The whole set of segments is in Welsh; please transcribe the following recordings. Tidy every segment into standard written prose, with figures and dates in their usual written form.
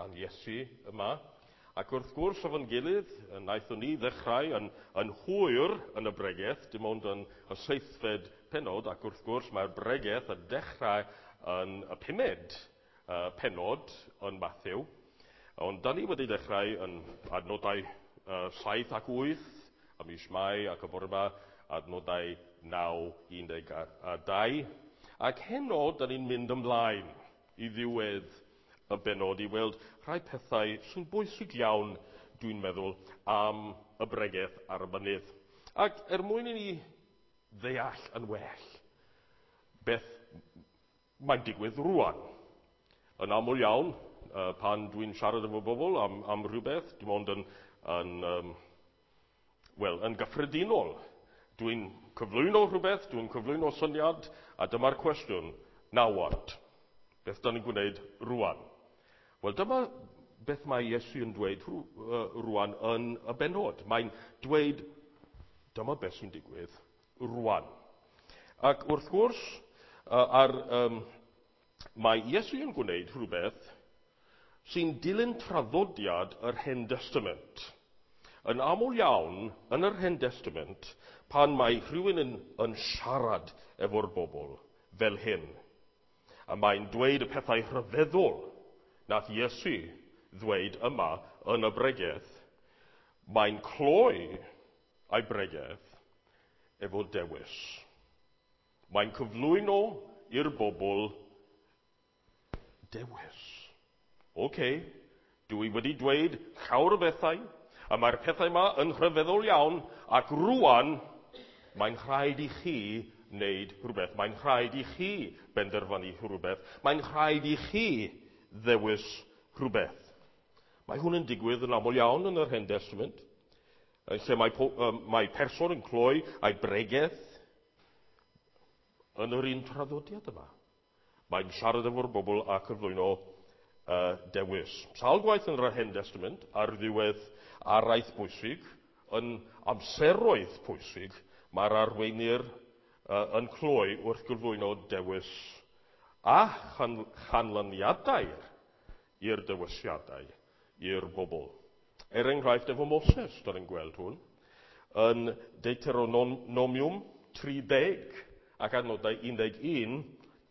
gan Iesu yma. Ac wrth gwrs, efo'n gilydd, wnaethon ni ddechrau yn hwyr yn y bregeth, dim ond yn y 7fed pennod, ac wrth gwrs mae'r bregeth yn dechrau yn y 5med pennod yn Mathew. Ond da ni wedi dechrau yn adnodau 7 ac 8, a mis Mai ac y bore yma, adnodau 9, 12. Ac heno, da ni'n mynd ymlaen i ddiwedd y bennod i weld rhai pethau sy'n bwysig iawn, dwi'n meddwl, am y bregeth ar y mynydd. Ac er mwyn i ni ddeall yn well beth mae'n digwydd rwan. Yn aml iawn, pan dwi'n siarad efo bobl am rhywbeth, dim ond yn gyffredinol, dwi'n cyflwyno rhywbeth, dwi'n cyflwyno syniad, a dyma'r cwestiwn, now what? Beth da ni'n gwneud rwan? Wel, dyma beth mae Iesu yn dweud rwan yn y bennod. Mae'n dweud, dyma beth sy'n digwydd rwan. Ac wrth gwrs, mae Iesu yn gwneud rhywbeth sy'n dilyn traddodiad yr Hen Destament. Yn aml iawn, yn yr Hen Destament, pan mae rhywun yn siarad efo'r bobl fel hyn, a mae'n dweud y pethau rhyfeddol nath Iesu ddweud yma yn y bregeth, mae'n cloi ei bregeth efo dewis. Mae'n cyflwyno i'r bobl dewis. Oce, dwi wedi dweud llawer o bethau, a mae'r pethau yma yn rhyfeddol iawn, ac rwan mae'n rhaid i chi wneud rhywbeth. Mae'n rhaid i chi benderfynu rhywbeth. Mae'n rhaid i chi ddewis rhywbeth. Mae hwn yn digwydd yn aml iawn yn yr Hen Testament, lle mae person yn cloi ei bregeth yn yr un traddodiad yma. Mae'n siarad efo'r bobl a cyflwyno dewis. Sawl gwaith yn yr Hen Testament, ar ddiwedd araith bwysig, yn amseroedd pwysig, mae'r arweinwyr yn cloi wrth gyflwyno dewis a chanlyniadau i'r dewisiadau i'r bobl. Er enghraifft, efo Moses, da ni'n gweld hwn, yn Deuteronomium 30 ac adnodau 11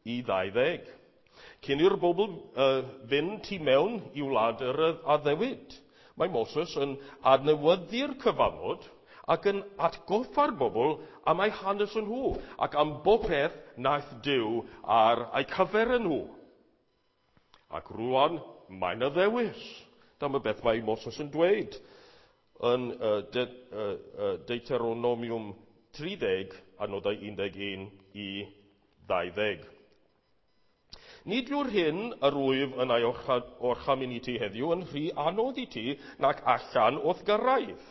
i 20. Cyn i'r bobl fynd tu mewn i wlad yr addewid, mae Moses yn adnewyddu'r cyfamod ac yn atgoffa'r bobl am eu hanes yn nhw ac am bopeth naeth Duw ar eu cyfer yn nhw. Ac rwan, mae'n y ddewis. Dyma beth mae Moses yn dweud yn Deuteronomium 30, adnodau 11 i 20. Nid yw'r hyn yr wyf yn ei orchymyn i ti heddiw yn rhy anodd i ti nac allan o'th gyrraedd.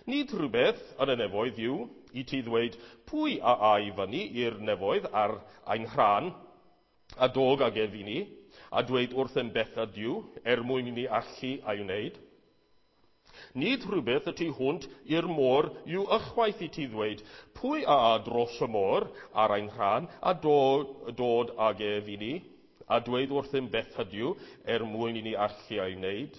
Nid rhywbeth yn y nefoedd yw i ti ddweud pwy a ai fyny i'r nefoedd ar ein rhan a dog ag ef i ni, a dweud wrthym beth ydyw er mwyn i ni allu ei wneud. Nid rhywbeth y tu hwnt i'r môr yw ychwaith i ti ddweud pwy a a dros y môr ar ein rhan a dod ag ef i ni, a dweud wrthym beth ydyw er mwyn i ni allu ei wneud.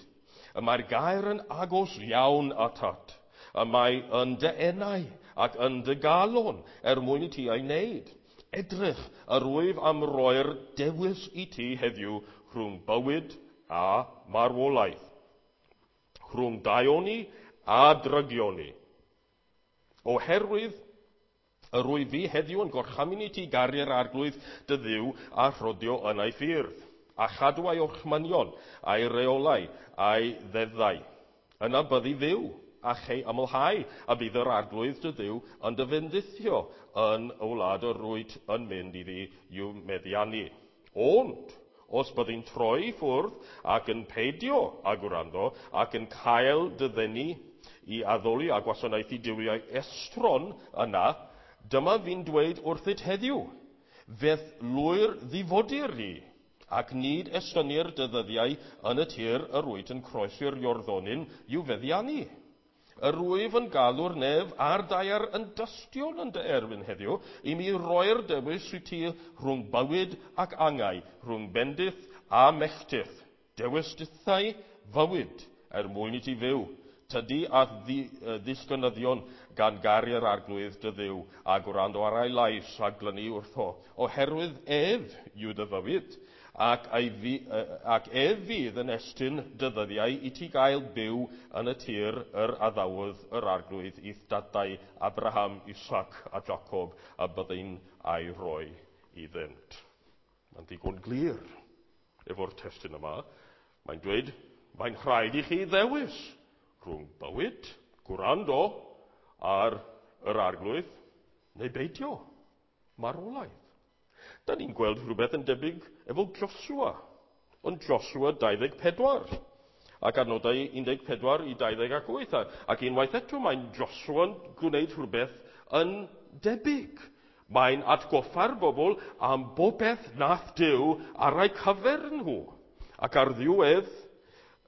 Y mae'r gair yn agos iawn atat. Y mae yn dy enau ac yn dy galon er mwyn i ti ei wneud. Edrych, yr wyf am roi'r dewis i ti heddiw rhwng bywyd a marwolaeth, rhwng daioni a drygioni. Oherwydd yr wyf fi heddiw yn gorchymyn i ti garu'r arglwydd dy Dduw a rhodio yn ei ffyrdd, a chadw ei orchmynion, a'i reolau, a'i ddeddfau. Yna byddi fyw a chei ymolhau, a bydd yr arglwydd dy Dduw yn dy fendithio yn y wlad yr wyt yn mynd iddi i'w meddiannu. Ond, os byddi'n troi i ffwrdd ac yn peidio â gwrando ac yn cael dy ddenu i addoli a gwasanaethu duwiau estron yna, dyma fi'n dweud wrthyt heddiw, fe'th lwyr ddifodir di, ac nid estynir dy ddyddiau yn y tir yr wyt yn croesi'r Iorddonen i'w feddiannu. Yr wyf yn galw'r nef a'r daear yn dystion yn dy erbyn heddiw, i mi roi'r dewis i ti rhwng bywyd ac angau, rhwng bendith a melltith. Dewis dithau fywyd er mwyn i ti fyw. Tydi a ddisgynyddion gan garu'r arglwydd dy ddiw a gwrando ar ei lais a glynu wrtho, oherwydd ef yw dy fywyd, ac, fi, ac ef fydd yn estyn dy ddyddiau i ti gael byw yn y tir yr addawodd yr arglwydd i'th dadau Abraham, Isaac a Jacob, a byddai'n a'i roi iddynt. Mae'n ddigon glir efo'r testun yma. Mae'n dweud, mae'n rhaid i chi ddewis rhwng bywyd, gwrando ar yr arglwydd, neu beidio, marwolaeth. Da ni'n gweld rhywbeth yn debyg efo Joshua, ond Joshua 24, ac adnodau 14 i 28. Ac unwaith eto mae'n Joshua'n gwneud rhywbeth yn debyg. Mae'n atgoffa'r bobl am bobeth nath Duw ar eu cyfer nhw. Ac ar ddiwedd,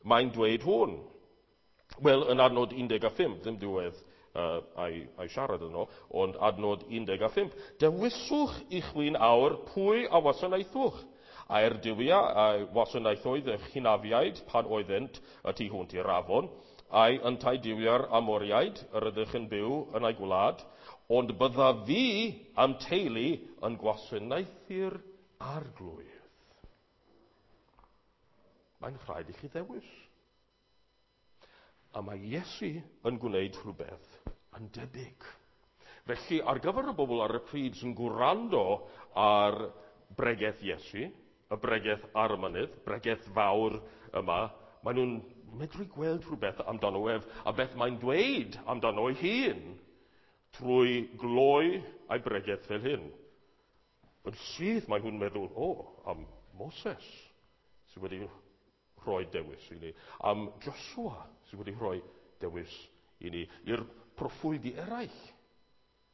mae'n dweud hwn. Wel, yn adnod 15, ddim diwedd a'i, a'i siarad yno, ond adnod 15. Dewiswch i chwi'n awr pwy a wasanaethwch. A'r duwiau a wasanaethoedd y hynafiaid pan oeddent y tu hwnt i'r afon, a'i yntau duwiau'r Amoriaid yr ydych yn byw yn ei gwlad, ond bydda fi am teulu yn gwasanaethu'r arglwydd. Mae'n rhaid i chi ddewis. A mae Iesu yn gwneud rhywbeth yn debyg. Felly, ar gyfer y bobl ar y pryd sy'n gwrando ar bregeth Iesu, y bregeth ar y mynydd, bregeth fawr yma, maen nhw'n medru gweld rhywbeth amdano ef a beth mae'n dweud amdano ei hun trwy gloi a'i bregeth fel hyn. Yn syth mae nhw'n meddwl, o, am Moses sydd wedi rhoi dewis i ni, am Joshua sydd wedi rhoi dewis i ni, i'r proffwydi eraill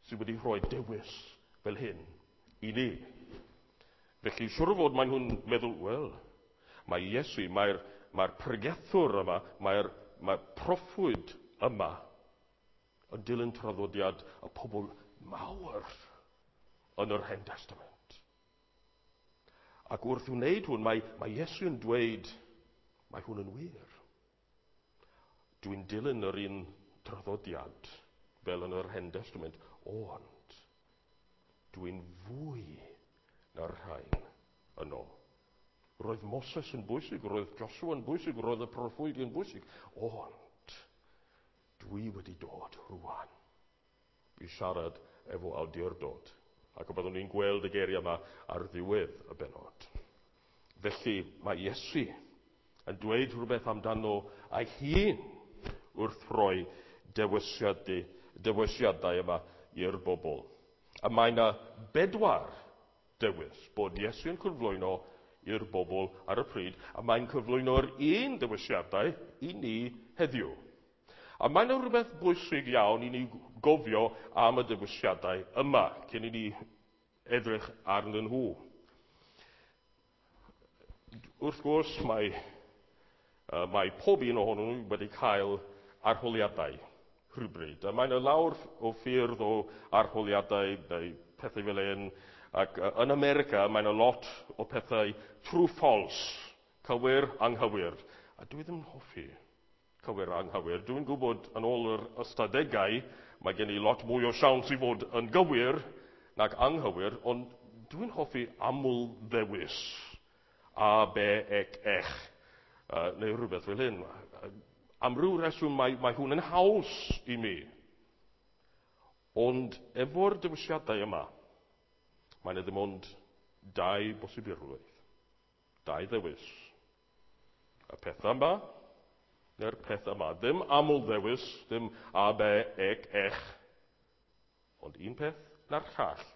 sydd wedi rhoi dewis fel hyn i ni. Felly, siwr o fod mae nhw'n meddwl, wel, mae Iesu, mae'r mae pregethwr yma, mae'r mae proffwyd yma yn dilyn traddodiad y pobl mawr yn yr Hen Testament. Ac wrth wneud hwn, mae, mae Iesu yn dweud, mae hwn yn wir. Dwi'n dilyn yr un traddodiad fel yn yr Hen Testament, ond dwi'n fwy na'r rhain yno. Roedd Moses yn bwysig, roedd Joshua yn bwysig, roedd y proffwydi yn bwysig, ond dwi wedi dod rwan i siarad efo awdurdod. Ac y byddwn ni'n gweld y geiriau yma ar ddiwedd y benod. Felly mae Iesu yn dweud rhywbeth amdano ei hun wrth roi dewisiadau, dewisiadau yma i'r bobl. A mae yna bedwar dewis bod Iesu yn cyflwyno i'r bobl ar y pryd, a mae'n cyflwyno'r un dewisiadau i ni heddiw. A mae yna rhywbeth bwysig iawn i ni gofio am y dewisiadau yma, cyn i ni edrych arnyn nhw. Wrth gwrs, mae, mae pob un ohonyn nhw wedi cael arholiadau rhywbryd. A mae yna lawr o ffyrdd o arholiadau neu pethau fel hyn. Ac yn America, mae yna lot o pethau true false, cywir, anghywir. A dwi ddim yn hoffi cywir anghywir. Dwi'n gwybod yn ôl yr ystadegau, mae gen i lot mwy o siawns i fod yn gywir nag anghywir, ond dwi'n hoffi aml ddewis. A, B, ec, ech, neu rhywbeth fel hyn. Am ryw reswm mae, mae hwn yn haws i mi. Ond efo'r dewisiadau yma, mae yna ddim ond dau bosibilrwydd. Dau ddewis. Y peth yma, neu'r peth yma. Ddim aml ddewis, ddim A, B, ec, ech. Ond un peth na'r llall.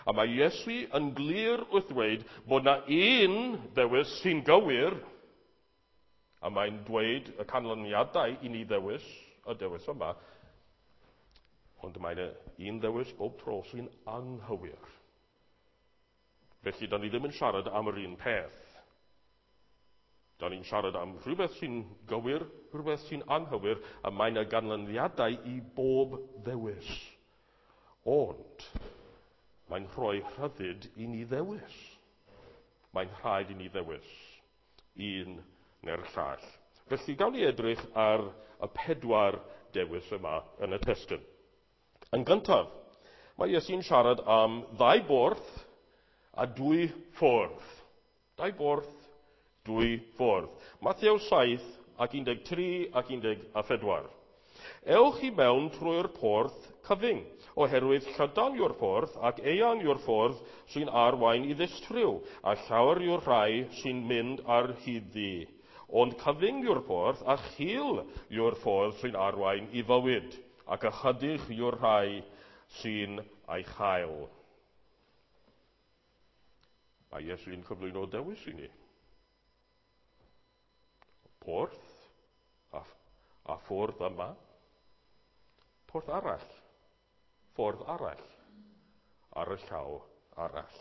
A mae Iesu yn glir wrth ddweud bod na un ddewis sy'n gywir, a mae'n dweud y canlyniadau i ni ddewis, y dewis yma, ond mae yna un ddewis bob tro sy'n anghywir. Felly, da ni ddim yn siarad am yr un peth. Da ni'n siarad am rhywbeth sy'n gywir, rhywbeth sy'n anghywir, a mae yna ganlyniadau i bob ddewis. Ond, mae'n rhoi rhyddid i ni ddewis. Mae'n rhaid i ni ddewis un neu'r llall. Felly, gawn ni edrych ar y 4 dewis yma yn y testun. Yn gyntaf, mae Iesu'n siarad am 2 borth a 2 ffordd. 2 borth, 2 ffordd. Mathew 7 ac 13 ac 14. Ewch i mewn trwy'r porth cyfyng, oherwydd llydan yw'r porth ac eang yw'r ffordd sy'n arwain i ddistryw, a llawer yw'r rhai sy'n mynd ar hyd ddi. Ond cyfyng yw'r porth a chul yw'r ffordd sy'n arwain i fywyd, ac ychydig yw'r rhai sy'n ei chael. Mae Iesu'n cyflwyno dewis i ni. Porth a ffordd yma. Porth arall. Ffordd arall. Ar y llaw arall.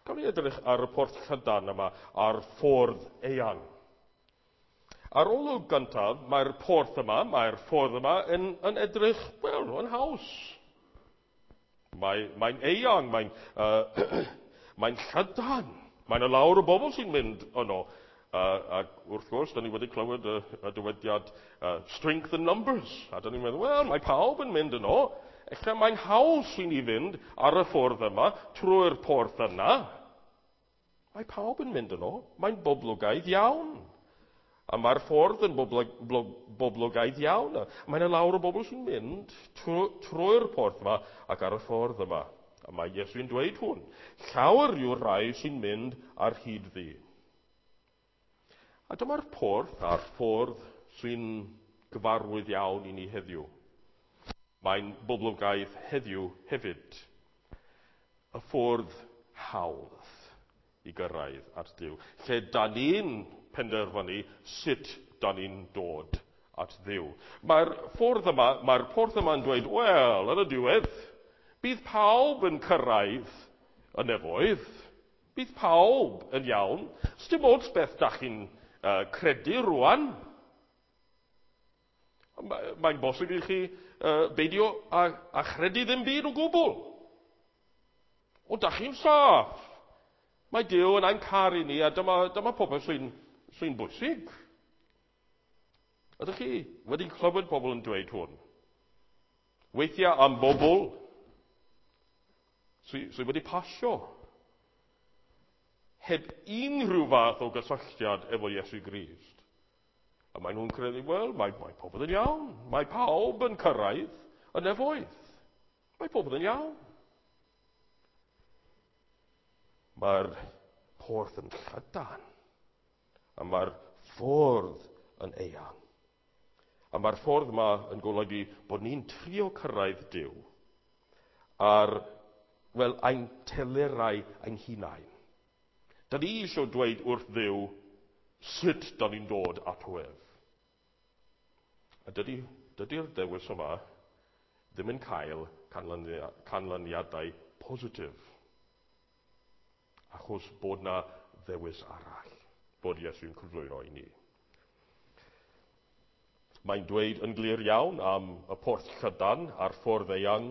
Gawn ni edrych ar y porth llydan yma, a'r ffordd eang. Ar olwg gyntaf, mae'r porth yma, mae'r ffordd yma yn edrych, wel, yn haws. Mae'n eang, mae'n llydan. Mae'n y lawr o bobl sy'n mynd yno. Ac wrth gwrs, da ni wedi clywed y dywediad strength in numbers. A da ni'n meddwl, wel, mae pawb yn mynd yno. Ella mae'n haws i ni fynd ar y ffordd yma, trwy'r porth yna. Mae pawb yn mynd yno. Mae'n boblogaidd iawn. A mae'r ffordd yn boblogaidd iawn. Mae'n y lawr o bobl sy'n mynd trwy'r porth yma ac ar y ffordd yma. A mae Iesu'n dweud hwn. Llawer yw'r rhai sy'n mynd ar hyd ddi. A dyma'r porth a'r ffordd sy'n gyfarwydd iawn i ni heddiw. Mae'n boblogaidd heddiw hefyd. Y ffordd hawdd i gyrraedd at Dduw. Lle da ni'n penderfynu sut da ni'n dod at Dduw. Mae'r ffordd yma, mae'r porth yma'n dweud, wel, yn y diwedd, bydd pawb yn cyrraedd y nefoedd. Bydd pawb yn iawn. Sdim ots beth da chi'n credu rwan. Mae'n bosib i chi beidio a chredu ddim byd o gwbl. Ond da chi'n saff. Mae Duw yn ein caru ni, a dyma popeth sy'n bwysig. Ydych chi wedi clywed pobl yn dweud hwn? Weithiau am bobl sydd wedi pasio heb unrhyw fath o gysylltiad efo Iesu Grist. A maen nhw'n credu, wel, mae popeth yn iawn. Mae pawb yn cyrraedd y nefoedd. Mae popeth yn iawn. Mae'r porth yn llydan, a mae'r ffordd yn eang. A mae'r ffordd yma yn golygu bod ni'n trio cyrraedd Duw ar, wel, ein telerau ein hunain. Da ni eisiau dweud wrth Dduw sut da ni'n dod ato ef. A dydy'r dewis yma ddim yn cael canlyniadau positif. Achos bod na ddewis arall, bod Iesu'n cyflwyno i ni. Mae'n dweud yn glir iawn am y porth llydan a'r ffordd eang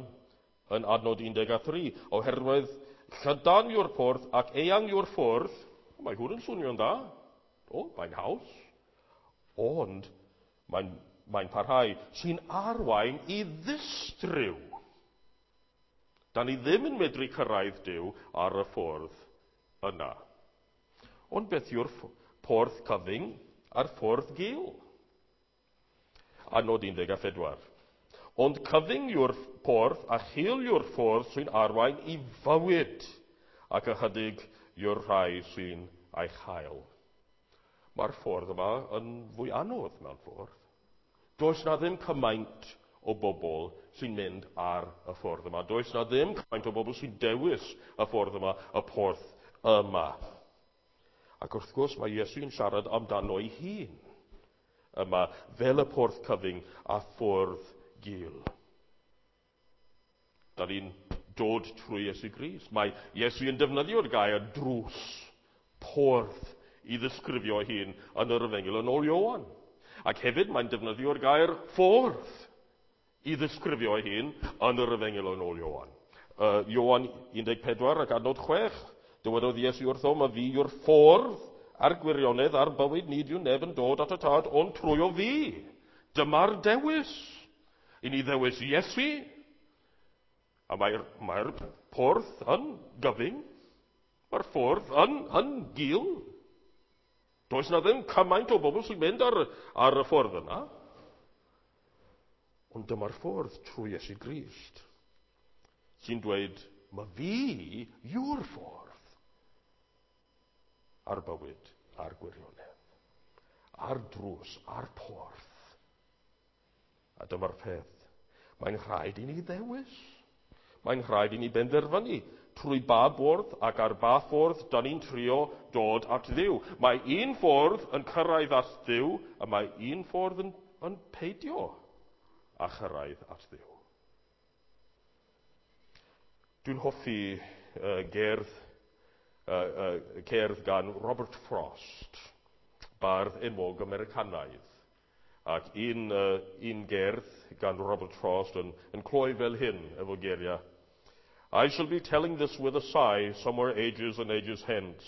yn adnod 13, oherwydd llydan yw'r porth ac eang yw'r ffordd. Mae hwn yn swnio'n dda. O, mae'n haws. Ond mae'n parhau sy'n arwain i ddistryw. Da ni ddim yn medru cyrraedd Duw ar y ffordd yna. Ond beth yw'r porth cyfyng a'r ffordd gul? Adnod 14. Ond cyfyng yw'r porth a chul yw'r ffordd sy'n arwain i fywyd, ac ychydig yw'r rhai sy'n ei chael. Mae'r ffordd yma yn fwy anodd mewn ffordd. Does na ddim cymaint o bobl sy'n mynd ar y ffordd yma. Does na ddim cymaint o bobl sy'n dewis y ffordd yma, y porth yma. Ac wrth gwrs mae Iesu'n siarad amdano ei hun yma fel y porth cyfyng a ffordd gul. Da ni'n dod trwy Iesu Grist. Mae Iesu yn defnyddio'r gair drws, porth, i ddisgrifio ei hun yn yr Efengyl yn ôl Ioan. Ac hefyd mae'n defnyddio'r gair ffordd i ddisgrifio ei hun yn yr Efengyl yn ôl Ioan. Ioan 14 ac adnod 6, dywedodd Iesu wrtho, "Ma fi yw'r ffordd a'r gwirionedd a'r bywyd, nid yw neb yn dod at y Tad ond trwy o fi. Dyma'r dewis. I ni ddewis Iesu, a mae'r porth yn gyfyng, mae'r ffordd yn gul. Does na ddim cymaint o bobl sy'n mynd ar y ffordd yna. Ond dyma'r ffordd trwy Iesu Grist sy'n dweud, mae fi yw'r ffordd a'r bywyd a'r gwirionedd, a'r drws, a'r porth. A dyma'r peth. Mae'n rhaid i ni ddewis. Mae'n rhaid i ni benderfynu trwy ba bwrdd ac ar ba ffordd da ni'n trio dod at Dduw. Mae un ffordd yn cyrraedd at Dduw, a mae un ffordd yn peidio â chyrraedd at Dduw. Dwi'n hoffi gerdd gan Robert Frost, bardd enwog Americanaidd. Ac un gerdd gan Robert Frost yn cloi fel hyn efo geiriau. I shall be telling this with a sigh somewhere ages and ages hence.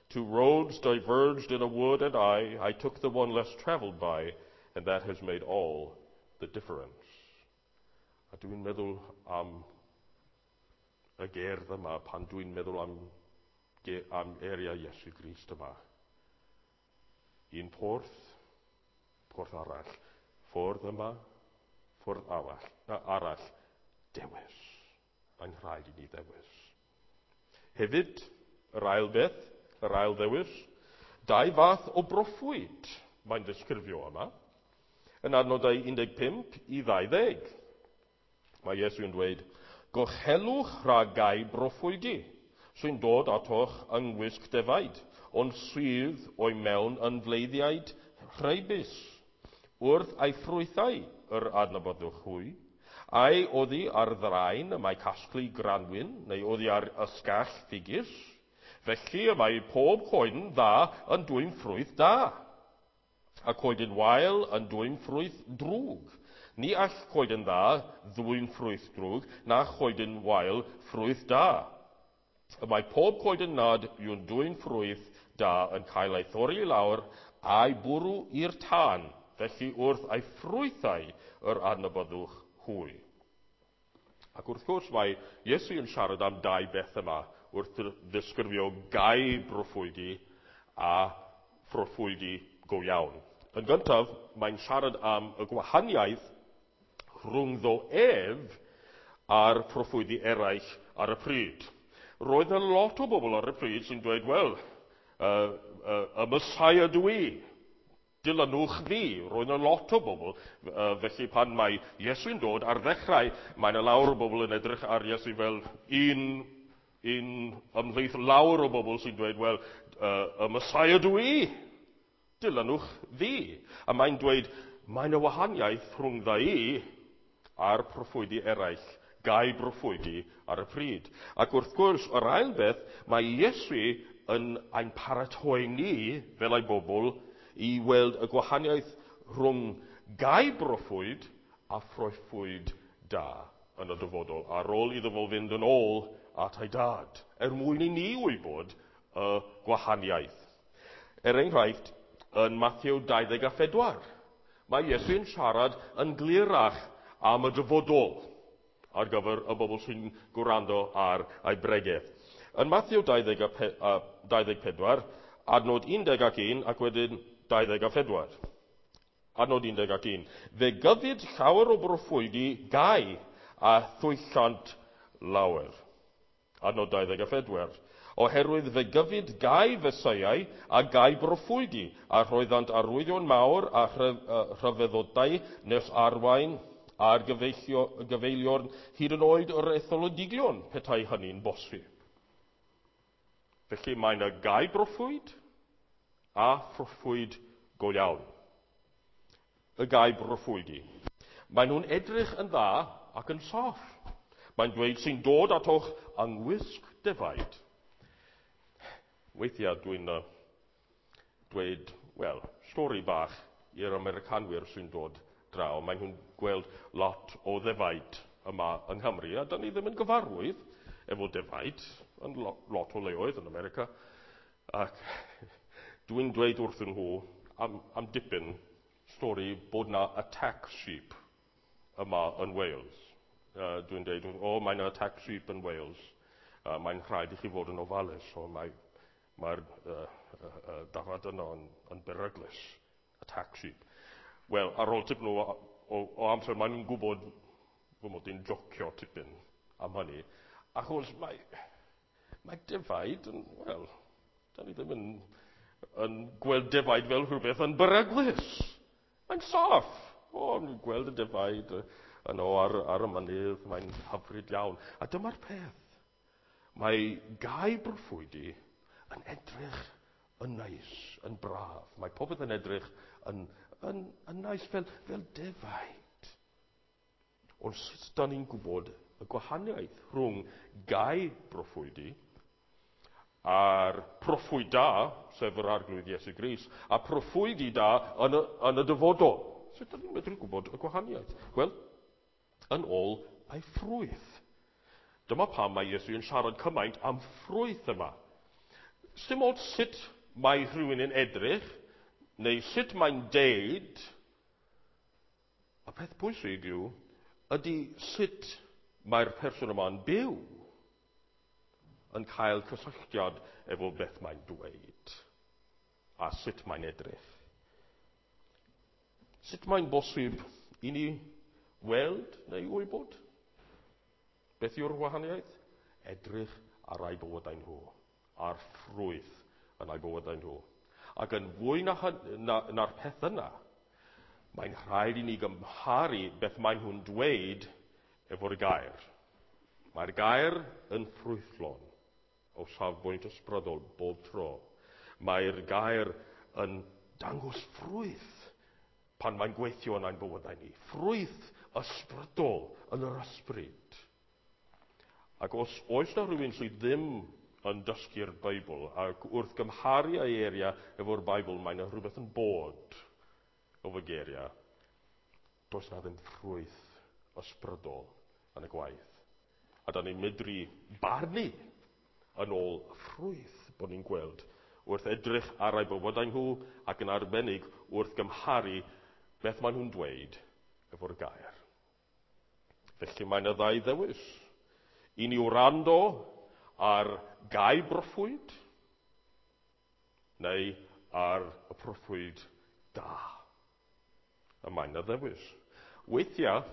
Two roads diverged in a wood, and I took the one less travelled by, and that has made all the difference. A dwi'n meddwl am y gerdd yma pan dwi'n meddwl am eiriau Iesu Grist yma. Un porth, porth arall. Ffordd yma, ffordd arall. Dewis. Mae'n rhaid i ni ddewis. Hefyd, yr ail beth, yr ail ddewis, dau fath o broffwyd mae'n ddisgrifio yma. Yn adnodau 15 i 20. Mae Iesu yn dweud, gochelwch rhag gau broffwydi sy'n dod atoch yng ngwisg defaid, ond sydd o'i mewn yn fleiddiaid rheibus. Wrth ei ffrwythau yr adnabyddwch hwy, ai oddi ar ddraen y mae casglu granwyn, neu oddi ar ysgall ffigus. Felly y mae pob coeden dda yn dwyn ffrwyth da, a coeden wael yn dwyn ffrwyth drwg. Ni all coeden dda ddwyn ffrwyth drwg, na choeden wael ffrwyth da. Y mae pob coeden nad yw'n dwyn ffrwyth da yn cael ei thorri i lawr a'i bwrw i'r tân, felly wrth ei ffrwythau yr adnabyddwch hwy. Ac wrth gwrs mae Iesu yn siarad am dau beth yma wrth ddisgrifio gau broffwydi a phroffwydi go iawn. Yn gyntaf, mae'n siarad am y gwahaniaeth rhwngddo ef a'r proffwydi eraill ar y pryd. Roedd yna lot o bobl ar y pryd sy'n dweud, wel, y Messiah dw i, dilynwch fi. Roedd yna lot o bobl, felly pan mae Iesu'n dod ar ddechrau, mae yna lawer o bobl yn edrych ar Iesu fel un ymhlith lawer o bobl sy'n dweud, wel, y Messiah dw i, dilynwch fi. A mae'n dweud, mae yna wahaniaeth rhwngdda i a'r proffwydi eraill, gau broffwydi ar y pryd. Ac wrth gwrs, yr ail beth, mae Iesu yn ein paratoi ni, fel ei bobl, i weld y gwahaniaeth rhwng gau broffwyd a phroffwyd da yn y dyfodol, ar ôl iddo fo fynd yn ôl at ei dad, er mwyn i ni wybod y gwahaniaeth. Er enghraifft, yn Mathew 24, mae Iesu'n siarad yn glirach am y dyfodol ar gyfer y bobl sy'n gwrando ar ei bregeth. Yn Mathew 24, adnod 11 ac wedyn 24. Adnod 11. Fe gyfyd llawer o broffwydi gau a thwyllant lawer. Adnod 24. Oherwydd fe gyfyd gau Feseiau a gau broffwydi, a rhoeddant arwyddion mawr a rhyfeddodau nes arwain a'r gyfeiliorn hyd yn oed yr etholodigion, petai hynny'n bosib. Felly mae yna gau broffwyd a phroffwyd go iawn. Y gau broffwydi. Maen nhw'n edrych yn dda ac yn saff. Mae'n dweud sy'n dod atoch yng ngwisg defaid. Weithiau dwi'n dweud, wel, stori bach i'r Americanwyr sy'n dod draw. Maen nhw'n gweld lot o ddefaid yma yng Nghymru, a da ni ddim yn gyfarwydd efo defaid yn lot o leoedd yn America. Ac Dwi'n dweud wrthyn nhw am dipyn stori bod na attack sheep yma yn Wales. Dwi'n dweud, o, mae yna attack sheep yn Wales. Mae'n rhaid i chi fod yn ofalus. O, mae'r dafad yno yn beryglus. Attack sheep. Wel, ar ôl tipyn o amser, maen nhw'n gwybod fy mod i'n jocio tipyn am hynny. Achos mae defaid yn, wel, da ni ddim yn gweld defaid fel rhywbeth yn beryglus. Mae'n saff. O, ni'n gweld y defaid yno ar y mynydd, mae'n hyfryd iawn. A dyma'r peth. Mae gau broffwydi yn edrych yn neis, yn braf. Mae popeth yn edrych yn neis fel defaid. Ond sut da ni'n gwybod y gwahaniaeth rhwng gau broffwydi a'r proffwyd da, sef yr Arglwydd Iesu Grist, a proffwydi da yn y dyfodol? Sut da ni'n medru gwybod y gwahaniaeth? Wel, yn ôl ei ffrwyth. Dyma pam mae Iesu yn siarad cymaint am ffrwyth yma. Sdim ots sut mae rhywun yn edrych, neu sut mae'n deud, y peth pwysig yw, ydy sut mae'r person yma'n byw yn cael cysylltiad efo beth mae'n dweud a sut mae'n edrych. Sut mae'n bosib i ni weld neu wybod? Beth yw'r wahaniaeth? Edrych ar eu bywydau nhw, a'r ffrwyth yn eu bywydau nhw. Ac yn fwy na'r peth yna, mae'n rhaid i ni gymharu beth maen nhw'n dweud efo'r gair. Mae'r gair yn ffrwythlon o safbwynt ysbrydol bob tro. Mae'r gair yn dangos ffrwyth pan mae'n gweithio yn ein bywydau ni. Ffrwyth ysbrydol yn yr ysbryd. Ac os oes na rhywun sydd ddim yn dysgu'r Beibl, ac wrth gymharu ei eiriau efo'r Beibl, mae yna rhywbeth yn bod o fy geiriau, does na ddim ffrwyth ysbrydol yn y gwaith. A da ni'n medru barnu yn ôl ffrwyth bod ni'n gweld wrth edrych ar eu bywydau nhw ac yn arbennig wrth gymharu beth maen nhw'n dweud efo'r gair. Felly mae yna ddau ddewis. I ni wrando ar gau broffwyd neu ar y proffwyd da. A mae yna ddewis. Weithiau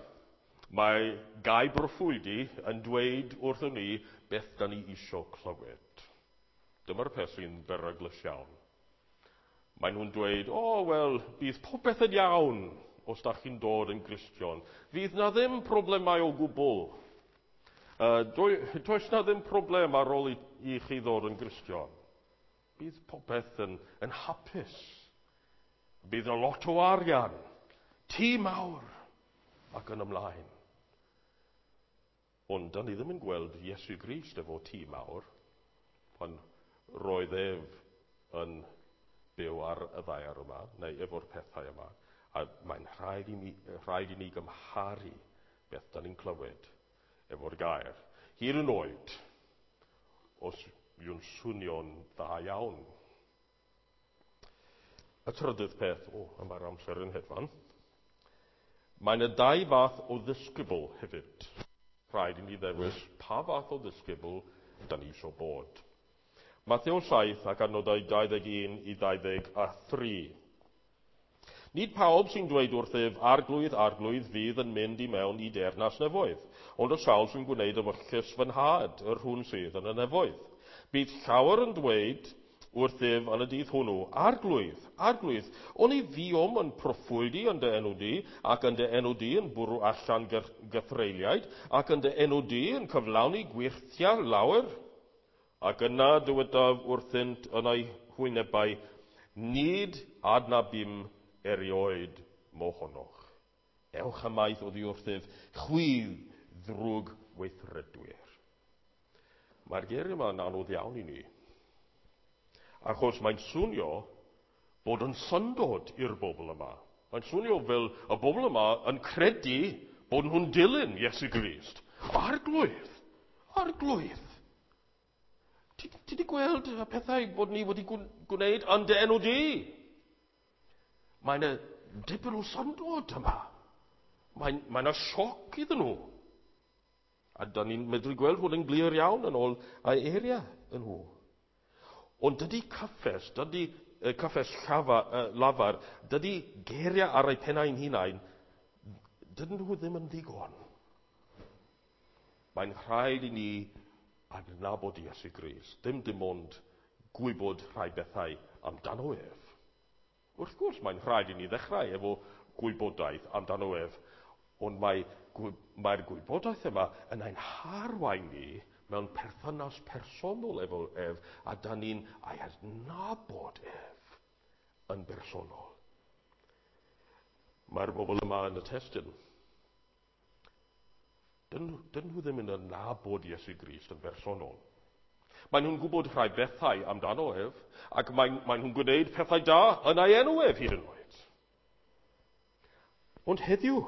mae gau broffwydi yn dweud wrthyn ni beth da ni isio clywed. Dyma'r peth sy'n beryglus iawn. Maen nhw'n dweud, o, wel, bydd popeth yn iawn os da chi'n dod yn Gristion. Fydd na ddim problemau o gwbl. Does na ddim problem ar ôl i chi ddod yn Gristion. Bydd popeth yn hapus. Bydd yna lot o arian, tŷ mawr, ac yn ymlaen. Ond da ni ddim yn gweld Iesu Grist efo tŷ mawr pan roedd ef yn byw ar y ddaear yma, neu efo'r pethau yma. A mae'n rhaid i ni gymharu beth da ni'n clywed efo'r gair. Hyd yn oed, os yw'n swnio'n dda iawn. Y trydydd peth, o, mae'r amser yn hedfan. Mae yna dau fath o ddisgybl hefyd. Rhaid i ni ddewis pa fath o ddisgybl da ni eisiau bod. Mathew 7 ac adnodau 21 i 23. Nid pawb sy'n dweud wrthyf, Arglwydd, Arglwydd, fydd yn mynd i mewn i deyrnas nefoedd, ond y sawl sy'n gwneud ewyllys fy nhad, yr hwn sydd yn y nefoedd. Bydd llawer yn dweud wrthyf yn y dydd hwnnw, Arglwydd, Arglwydd, oni fuom yn proffwydi yn dy enw di, ac yn dy enw di yn bwrw allan gythreuliaid, ac yn dy enw di yn cyflawni gwyrthiau lawer? Ac yna dywedaf wrthynt yn eu hwynebau, nid adnabum erioed mohonoch. Ewch ymaith oddi wrthyf, chwi ddrwg weithredwyr. Mae'r geiriau yma yn anodd iawn i ni. Achos mae'n swnio bod yn syndod i'r bobl yma. Mae'n swnio fel y bobl yma yn credu bod nhw'n dilyn Iesu Grist. Arglwydd! Arglwydd! Ti wedi gweld y pethau bod ni wedi gwneud yn dy enw di? Mae yna dipyn o syndod yma. Mae yna sioc iddyn nhw. A da ni'n medru gweld hwn yn glir iawn yn ôl ei eiriau yn nhw. Ond dydy cyffes, dydy cyffes lafar, dydy geiriau ar eu pennau'n hunain, dydyn nhw ddim yn ddigon. Mae'n rhaid i ni adnabod Iesu Grist, dim ond gwybod rhai bethau amdano ef. Wrth gwrs, mae'n rhaid i ni ddechrau efo gwybodaeth amdano ef, ond mae'r gwybodaeth yma yn ein harwain ni mewn perthynas personol efo ef, a da ni'n ei adnabod ef yn bersonol. Mae'r bobl yma yn y testun. Dyn nhw ddim yn adnabod Iesu Grist yn bersonol. Maen nhw'n gwybod rhai bethau amdano ef, ac maen nhw'n gwneud pethau da yn ei enw ef hyd yn oed. Ond heddiw,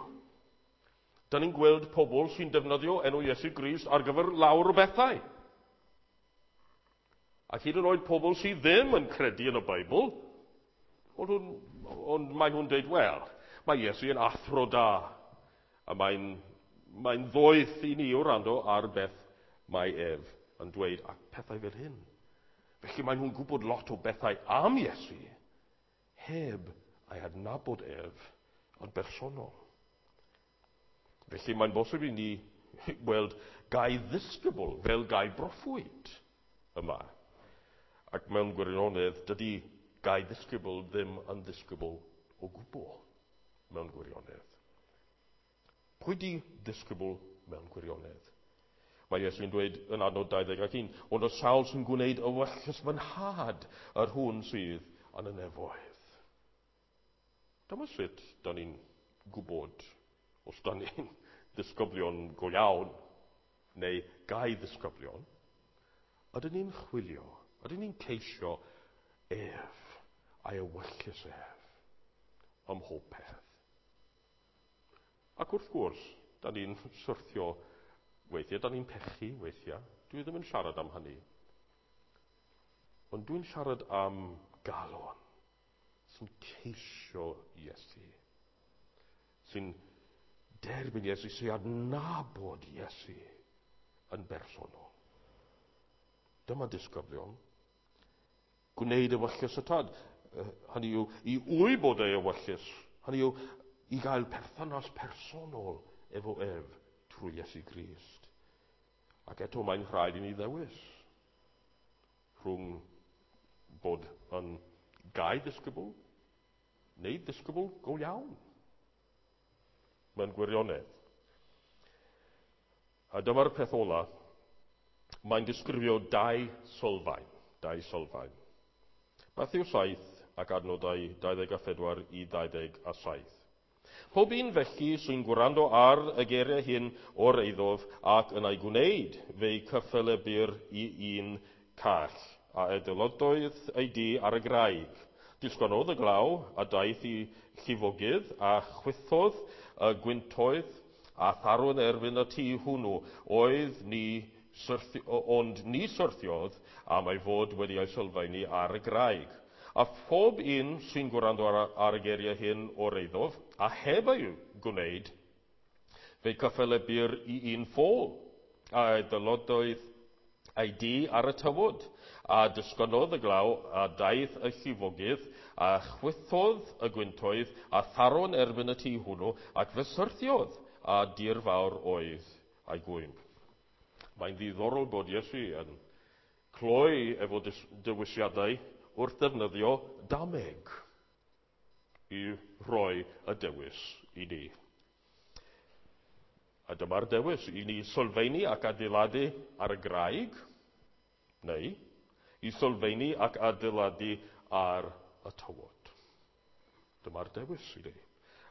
da ni'n gweld pobl sy'n defnyddio enw Iesu Grist ar gyfer lawer o bethau. Ac hyd yn oed pobl sydd ddim yn credu yn y Beibl, ond maen nhw'n dweud, wel, mae Iesu yn athro da, a mae'n ddoeth i ni wrando ar beth mae ef yn dweud, ac pethau fel hyn. Felly maen nhw'n gwybod lot o bethau am Iesu, heb ei adnabod ef yn bersonol. Felly mae'n bosib i ni weld gau ddisgybl fel gau broffwyd yma. Ac mewn gwirionedd, dydy gau ddisgybl ddim yn ddisgybl o gwbl mewn gwirionedd. Pwy di ddisgybl mewn gwirionedd? Mae Iesu'n dweud yn adnod 21, ond y sawl sy'n gwneud ewyllys fy nhad yr hwn sydd yn y nefoedd. Dyma sut da ni'n gwybod os da ni'n ddisgyblion go iawn neu gau ddisgyblion. Ydyn ni'n chwilio, ydyn ni'n ceisio ef a'i ewyllys ef ym mhob peth. Ac wrth gwrs, da ni'n syrthio weithiau, da ni'n pechu weithiau. Dwi ddim yn siarad am hynny. Ond dwi'n siarad am galon sy'n ceisio Iesu, sy'n derbyn Iesu, sy'n adnabod Iesu yn bersonol. Dyma disgyblion. Gwneud ewyllys y tad. Hynny yw, i wybod ei ewyllys. Hynny yw, i gael perthynas personol efo ef trwy Iesu Grist. Ac eto mae'n rhaid i ni ddewis rhwng bod yn gau ddisgybl neu ddisgybl go iawn. Mae'n gwirionedd. A dyma'r peth ola. Mae'n disgrifio dau sylfaen. Dau sylfaen. Mathew 7 ac adnodau 24 i 27. Pob un felly sy'n gwrando ar y geiriau hyn o'r eiddof ac yn ei gwneud fe'i cyffelebir i un call, a adeiladodd ei dŷ ar y graig. Disgynnodd y glaw a daeth i llifogydd a chwythodd y gwyntoedd a tharodd yn erbyn y tŷ hwnnw oedd ni ond ni syrthiodd am ei fod wedi ei sylfaenu ar y graig. A phob un sy'n gwrando ar y geiriau hyn o'r eiddof, a heb ei gwneud, fe'i cyffelebir i un ffôl, a adeiladodd ei dŷ ar y tywod, a disgynnodd y glaw, a daeth y llifogydd, a chwythodd y gwyntoedd, a tharo'n erbyn y tŷ hwnnw, ac fe syrthiodd, a dir fawr oedd ei gwymp. Mae'n ddiddorol bod Iesu yn cloi efo dewisiadau wrth ddefnyddio dameg i roi y dewis i ni. A dyma'r dewis i ni sylfaenu ac adeiladu ar y graig, neu i sylfaenu ac adeiladu ar y tywod. Dyma'r dewis i ni.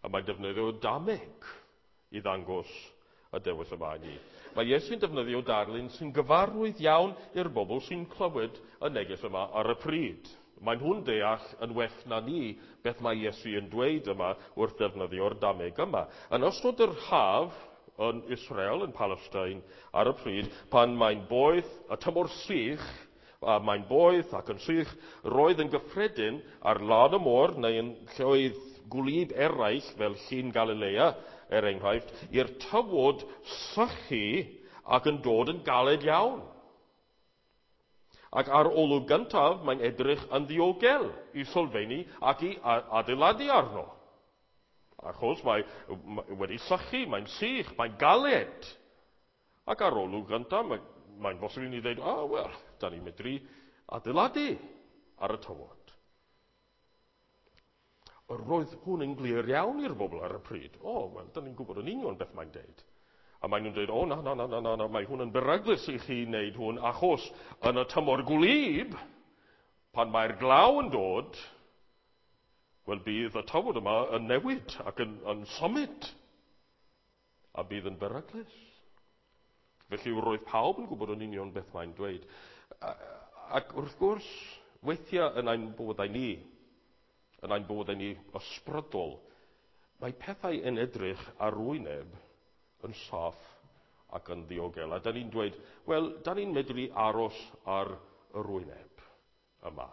A mae'n defnyddio dameg i ddangos y dewis yma i ni. Mae Iesu'n defnyddio darlun sy'n gyfarwydd iawn i'r bobl sy'n clywed y neges yma ar y pryd. Mae nhw'n deall yn well na ni beth mae Iesu yn dweud yma wrth ddefnyddio'r dameg yma. Yn ystod yr haf yn Israel, yn Palestine, ar y pryd, pan mae'n boeth y tymor sych, A mae'n boeth ac yn sych. Roedd yn gyffredin ar lan y môr neu yn lleoedd gwlyb eraill fel Llyn Galilea, er enghraifft, i'r tywod sychu ac yn dod yn galed iawn. Ac ar olwg gyntaf, mae'n edrych yn ddiogel i sylfaenu ac i adeiladu arno. Achos mae wedi sychu, mae'n sych, mae'n galed. Ac ar olwg gyntaf, mae'n bosib i ni ddweud, "O, wel, da ni'n medru adeiladu ar y tywod." Roedd hwn yn glir iawn i'r bobl ar y pryd. "O, wel, da ni'n gwybod yn union beth mae'n deud." A maen nhw'n dweud, "O, na, na, na, na, na, na, mae hwn yn beryglus i chi wneud hwn, achos yn y tymor gwlyb, pan mae'r glaw yn dod, wel, bydd y tywod yma yn newid ac yn symud, a bydd yn beryglus." Felly roedd pawb yn gwybod yn union beth mae'n dweud. Ac wrth gwrs, weithiau yn ein bywydau ni, yn ein bywydau ni ysbrydol, mae pethau yn edrych ar wyneb yn saff ac yn ddiogel. A da ni'n dweud, "Wel, da ni'n medru aros ar yr wyneb yma."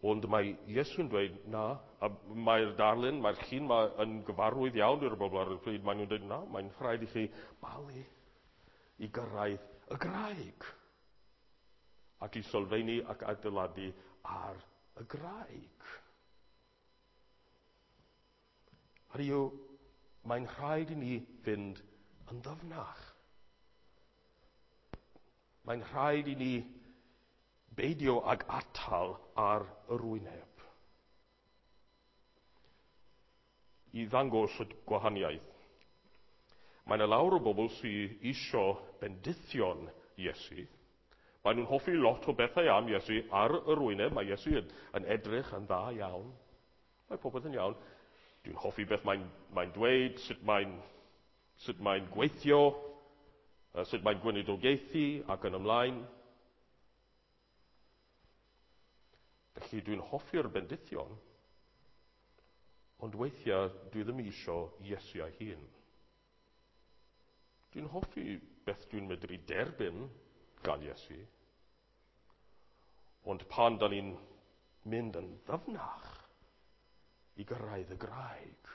Ond mae Iesu'n dweud, na, a mae'r darlun, mae'r llun yma yn gyfarwydd iawn i'r bobl ar y pryd, maen nhw'n dweud, "Na, mae'n rhaid i chi balu i gyrraedd y graig. Ac i sylfaenu ac adeiladu ar y graig." Hynny yw, mae'n rhaid i ni fynd yn ddyfnach. Mae'n rhaid i ni beidio ag atal ar yr wyneb. I ddangos y gwahaniaeth, mae yna lawer o bobl sydd isio bendithion Iesu. Maen nhw'n hoffi lot o bethau am Iesu ar yr wyneb. Mae Iesu yn edrych yn dda iawn. Mae popeth yn iawn. Dwi'n hoffi beth mae'n dweud, sut mae'n gweithio, sut mae'n gweinidogaethu ac yn ymlaen. Felly dwi'n hoffi'r bendithion, ond weithiau dwi ddim eisiau Iesu ei hun. Dwi'n hoffi beth dwi'n medru derbyn gan Iesu, ond pan da ni'n mynd yn ddyfnach i gyrraedd y graig,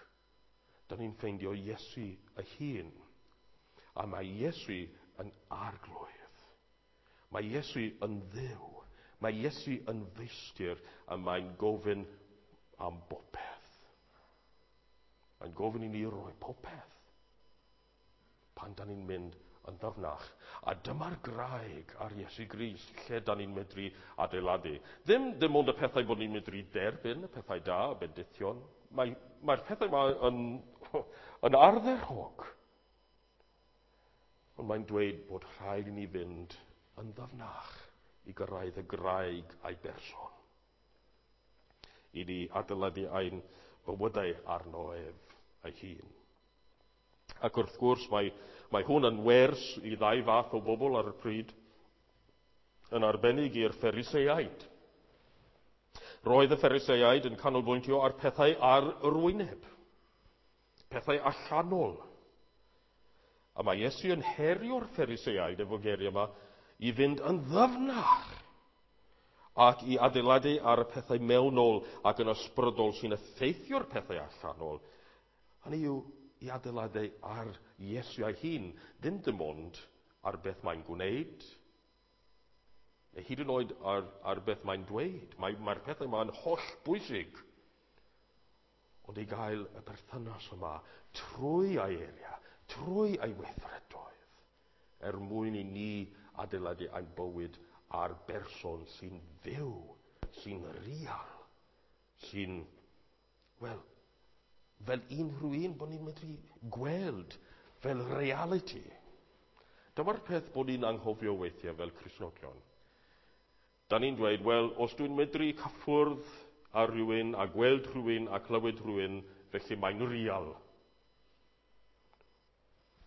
da ni'n ffeindio Iesu ei hun. A mae Iesu yn Arglwydd. Mae Iesu yn Dduw. Mae Iesu yn Feistr a mae'n gofyn am bopeth. Mae'n gofyn i ni roi popeth pan da ni'n mynd yn ddyfnach. A dyma'r graig ar Iesu Grist lle da ni'n medru adeiladu. Ddim ond y pethau bod ni'n medru derbyn, y pethau da, y bendithion. Mae'r pethau yma yn ardderchog. Ond mae'n dweud bod rhaid i ni fynd yn ddyfnach i gyrraedd y graig a'i berson. I ni adeiladu ein bywydau arno ef ei hun. Ac wrth gwrs mae hwn yn wers i ddau fath o bobl ar y pryd, yn arbennig i'r Phariseaid. Roedd y Phariseaid yn canolbwyntio ar pethau ar yr wyneb, pethau allanol. A mae Iesu yn herio'r Phariseaid efo geiriau yma i fynd yn ddyfnach ac i adeiladu ar y pethau mewnol ac yn ysbrydol sy'n effeithio'r pethau allanol. Hynny yw, i adeiladu ar Iesu ei hun, ddim dim ond ar beth mae'n gwneud, neu hyd yn oed ar beth mae'n dweud. Mae'r pethau yma'n holl bwysig. Ond i gael y perthynas yma trwy ei eiriau, trwy ei weithredoedd, er mwyn i ni adeiladu ein bywyd ar berson sy'n fyw, sy'n real, sy'n, wel, fel unrhyw un bod ni'n medru gweld fel reality. Dyma'r peth bod ni'n anghofio weithiau fel Cristnogion. Da ni'n dweud, "Wel, os dwi'n medru cyffwrdd ar rhywun a gweld rhywun a clywed rhywun, felly mae'n real."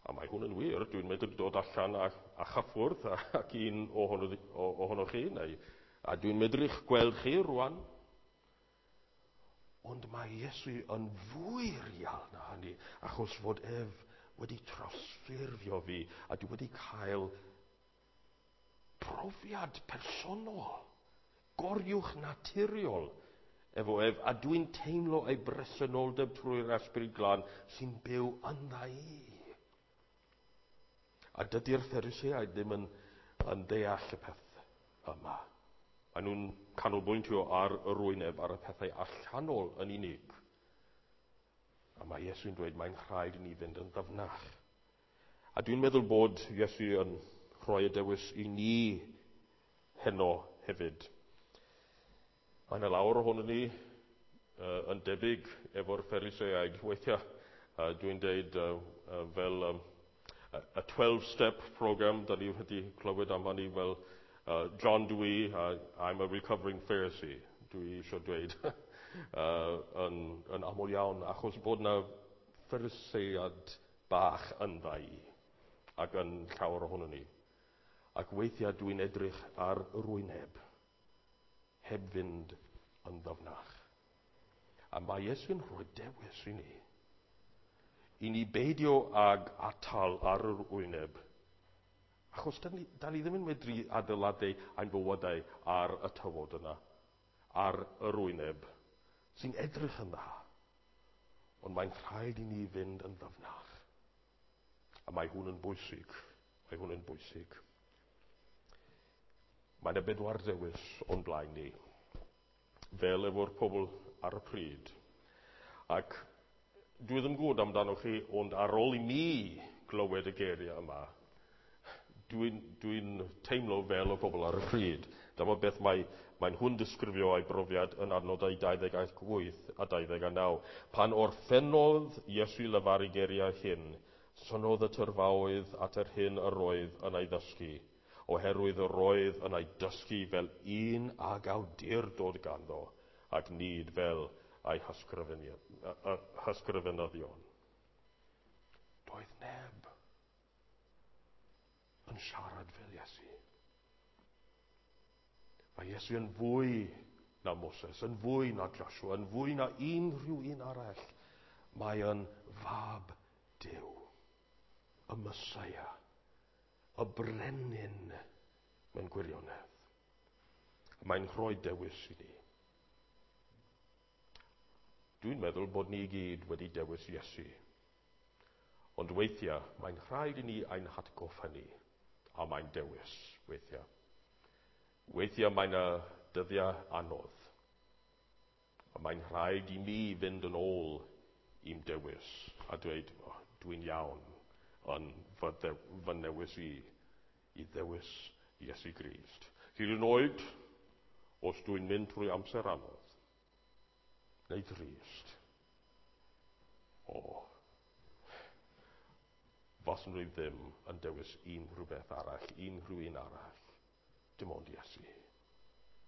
A mae hwn yn wir, dwi'n medru dod allan a chyffwrdd ac un ohonoch chi, neu, a dwi'n medru'ch gweld chi rwan. Ond mae Iesu yn fwy real na hynny, achos fod ef wedi trawsffurfio fi a dwi wedi cael Profiad personol, goriwch naturiol efo ef, a dwi'n teimlo ei bresenoldeb trwy'r Ysbryd Glân sy'n byw yndda i. A dydy'r Phariseaid ddim yn deall y peth yma. Maen nhw'n canolbwyntio ar yr wyneb, ar y pethau allanol yn unig. A mae Iesu'n dweud mae'n rhaid i ni fynd yn ddyfnach. A dwi'n meddwl bod Iesu yn rhoi y dewis i ni heno hefyd. Mae yna lawer ohono ni yn debyg efo'r Phariseaid. Weithiau dwi'n deud fel y 12-step program, da ni wedi clywed am hynny fel John Dewey, I'm a recovering Pharisee, dwi eisiau dweud yn aml iawn, achos bod yna Pharisead bach yndda i ac yn llawer ohono ni. Ac weithiau dwi'n edrych ar yr wyneb, heb fynd yn ddyfnach. A mae Iesu'n rhoi dewis i ni. I ni beidio ag atal ar yr wyneb. Achos da ni ddim yn medru adeiladu ein bywydau ar y tywod yna, ar yr wyneb, sy'n edrych yn dda. Ond mae'n rhaid i ni fynd yn ddyfnach. A mae hwn yn bwysig. Mae hwn yn bwysig. Mae yna bedwar dewis o'n blaen ni, fel efo'r pobl ar y pryd. Ac dwi ddim gwybod amdano chi, ond ar ôl i mi glywed y geiriau yma, dwi'n teimlo fel y pobl ar y pryd. Dyma beth mae nhw'n disgrifio ei brofiad yn adnodau 28 a 29. Pan orffennodd Iesu lefaru geiriau hyn, synodd y tyrfaoedd at yr hyn yr oedd yn ei ddysgu, oherwydd yr oedd yn ei dysgu fel un ag awdurdod ganddo, ac nid fel ei hysgrifenyddion. Doedd neb yn siarad fel Iesu. Mae Iesu yn fwy na Moses, yn fwy na Joshua, yn fwy na unrhyw un arall. Mae yn fab Duw, y Meseia, y brenin mewn gwirionedd. Mae'n rhoi dewis i ni. Dwi'n meddwl bod ni i gyd wedi dewis Iesu. Ond weithiau, mae'n rhaid i ni ein hatgoffa ni, a mae'n dewis weithiau. Weithiau mae'n y dyddiau anodd. A mae'n rhaid i mi fynd yn ôl i'm dewis a dweud, oh, dwi'n iawn yn fy newis i ddewis Iesu Grist. Hyd yn oed, os dwi'n mynd trwy amser anodd, neu drist, faswn i ddim yn dewis unrhyw beth arall, unrhyw un arall. Dim ond Iesu.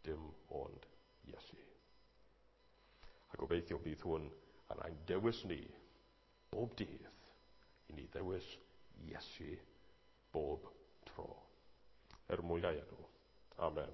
Dim ond Iesu. A gobeithio bydd hwn yn ein dewis ni, bob dydd, i ni ddewis Iesu bob tro. Er mwyn ei enw. Amen.